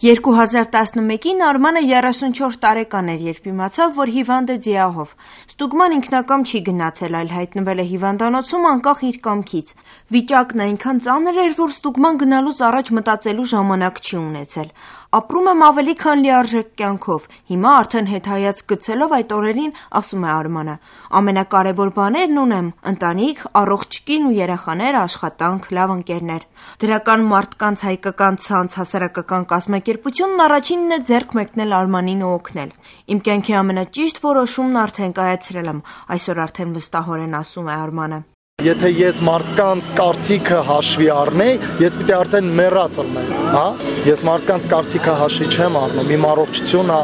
2011-ին Արմանը 34 տարեկան էր, երբ իմացավ, որ հիվանդ է ձիահով։ Ստուգման ինքնակամ չի գնացել, այլ հայտնվել է հիվանդանոցում անկախ իր կամքից։ Վիճակն այնքան ծանր էր, որ ստուգման գնալուց առաջ մտածելու ժամանակ չի ունեցել։ Ապրում եմ ավելի քան լիարժեք կյանքով։ Հիմա արդեն հետհայաց գցելով այդ օրերին, ասում է Արմանը։ Ամենակարևոր բաներն ունեմ՝ ընտանիք, առողջ կին ու երեխաներ, աշխատանք, լավ ընկերներ։ Դրական մարդկանց հայկական ցանց հասարակական կազմակերպությունն առաջինն է ձեռք մեկնել Արմանին ու օգնել։ Իմ կյանքի ամենաճիշտ որոշումն արդեն կայացրել եմ, այսօր արդեն վստահորեն ասում է Արմանը։ Եթե ես մարդկանց կարծիքը հաշվի առնեի, ես պիտի արդեն մեռած ելնեի, հա? Ես մարդկանց կարծիքը հաշվի չեմ առնում, իմ առողջությունը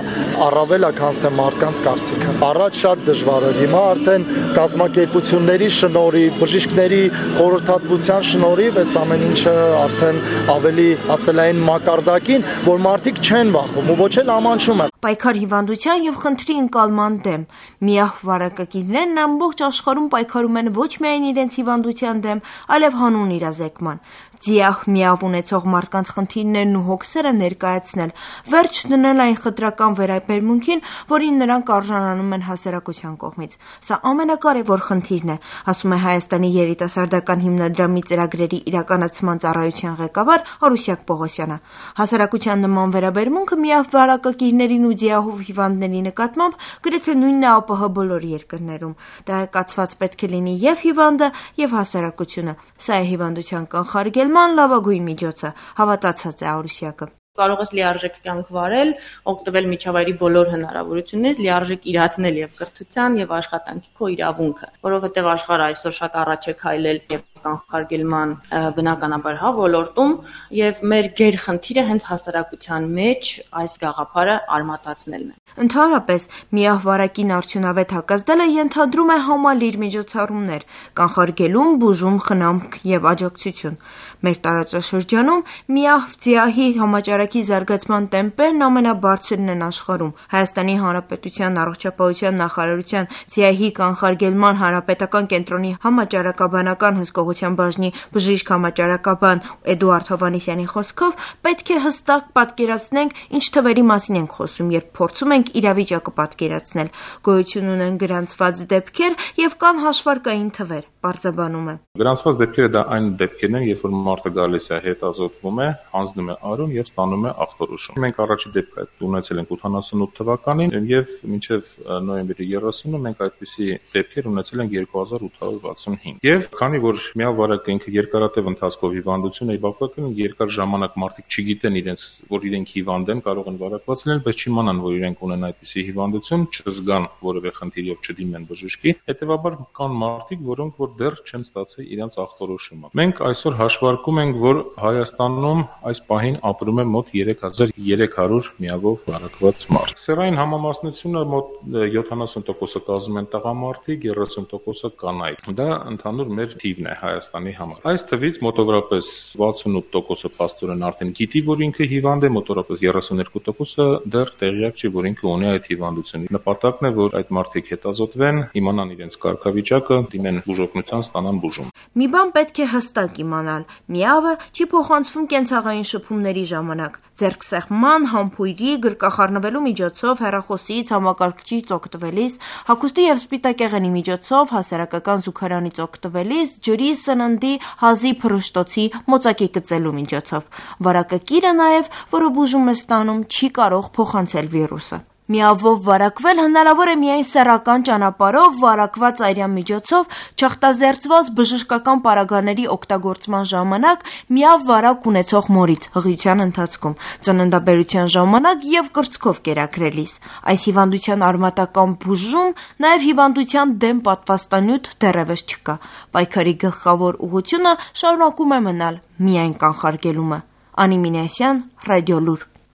առավել է, քան թե մարդկանց կարծիքը։ Առաջ շատ դժվար էր, հիմա արդեն կազմակերպությունների շնորհիվ, բժիշկների խորհրդատվության շնորհիվ այս ամեն ինչը արդեն ավելի ասելային մակարդակին, որ մարդիկ չեն վախում ու ոչ էլ ամանչում են։ Պայքար հիվանդության եւ խնդրի ընկալման դեմ։ Միահ վարակագիրներն ամբողջ աշխարհում պայքարում են ոչ միայն իրենց հիվանդության դեմ, այլև հանուն իրազեկման։ Ձիահ միավ ունեցող մարդկանց խնդիրներն ու հոգսերը ներկայացնել, վերջ դնել այն խտրական վերաբերմունքին, որին նրանք արժանանում են հասարակության կողմից։ Սա ամենակարևոր խնդիրն է, ասում է Հայաստանի երիտասարդական հիմնադրամի ծրագրերի իրականացման ծառայության ղեկավար Արուսյակ Պողոսյանը։ Հասարակության նման վերաբերմունքը միավ վարակագիրներին ու ձիահով հիվանդների նկատմամբ գրեթե նույնն է ԱՊՀ բոլոր երկրներում։ Տեղեկացված պետք է լինի եւ հիվանդը, եւ հասարակությունը։ Սա է հիվանդության կանխարգելման լավագույն միջոցը, հավատացած է Արուսյակը։ Կարող ես լիարժեք կյանք վարել, օգտվել միջավայրի բոլոր հնարավորություններից, լիարժեք իրացնել եւ կրթության եւ աշխատանքի քո իրավունքը, որովհետեւ աշխարհը այսօր շատ առաջ է քայլել եւ կանխարգելման բնականաբար ոլորտում եւ մեր գերխնդիրը հենց հասարակության մեջ այս գաղափարը արմատացնելն է։ Ընդհանրապես, միահ վարակին արդյունավետ հակազդելը ենթադրում է համալիր միջոցառումներ, կանխարգելում, բուժում, խնամք եւ աջակցություն։ Մեր տարածաշրջանում միահ ձիահի համաճարակի զարգացման տեմպերն ամենաբարձրն են աշխարհում։ Հայաստանի Հանրապետության առողջապահության նախարարության ձիահի կանխարգելման հանրապետական կենտրոնի համաճարակաբանական հսկողության բաժնի բժիշկ համաճարակաբան Էդուարդ Հովհաննիսյանի խոսքով պետք է հստակ պատկերացնենք, ինչ թվերի մասին ենք խոսում, երբ փորձում ենք իրավիճակը պատկերացնել։ Գոյություն ունեն գրանցված դեպքեր եւ կան հաշվարկային թվեր, պարզաբանում է։ Գրանցված դեպքերը դա այն դեպքերն են, երբ որ մարդը գալիս է, հետազոտվում է, հանձնում է արյուն եւ ստանում է ախտորոշում։ Մենք առաջի դեպքը ունեցել ենք 88 թվականին եւ մինչեւ նոյեմբերի 30-ը մենք այդպիսի դեպքեր ունեցել ենք 2865։ Եվ քանի որ միավարակը ինքը երկարատև ընթացքով հիվանդություն է, բավականին երկար ժամանակ մարդիկ չգիտեն իրենց, որ իրենք հիվանդ են, կարող են վարակված լինել, բայց չիմանան, որ իրենք ունեն այդպիսի հիվանդություն, չզգան որևէ խնդիր եւ չդիմեն բժշկի։ Հետեւաբար կան մարդիկ, որոնք որ դեռ չեն ստացել իրենց ախտորոշումը։ Մենք այսօր հաշվարկում ենք, որ Հայաստանում այս պահին ապրում է մոտ 3300 միավով վարակված մարդ։ Սեռային համամասնությունը մոտ 70%-ը կազմում են տղամարդիկ, 30%-ը կանայք։ Դա ընդհանուր մեր թիվն է Հայաստանի համար։ Այս թվից մոտավորապես 68%-ը փաստորեն արդեն գիտի, որ ինքը հիվանդ է, մոտավորապես 32%-ը դեռ տեղյակ չի, որ ինքը ունի այդ հիվանդությունը։ Նպատակն է, որ այդ մարդիկ հետազոտվեն, իմանան իրենց կարգավիճակը, դիմեն բուժօգնության, ստանան բուժում։ Մի բան պետք է հստակ իմանալ. միավը չի փոխանցվում կենցաղային շփումների ժամանակ։ Ձեռքսեղման, համբույրի, գրկախառնվելու միջոցով, հեռախոսից, համակարգչից օգտվելիս, հագուստի եւ սպիտակեղենի միջոցով, հասարակական զուգարանից օգտվելիս, ջրի, սննդի, հազի, փռշտոցի, մոծակի գծելու միջոցով։ Վարակակիրը նաեւ, որը բուժում է ստանում, չի կարող փոխանցել վիրուսը։ Միավով վարակվել հնարավոր է միայն սեռական ճանապարհով, վարակված արյան միջոցով, չախտազերծված բժշկական պարագաների օգտագործման ժամանակ, միավ վարակ ունեցող մորից, հղիության ընթացքում, ծննդաբերության ժամանակ եւ կրծքով կերակրելիս։ Այս հիվանդության արմատական բուժում, նաեւ հիվանդության դեմ պատվաստանյութ դեռևս չկա։ Պայքարի գլխավոր ուղղությունը շարունակում է մնալ միայն կանխարգելումը։ Անի Մինասյան, Ռադիոլուր։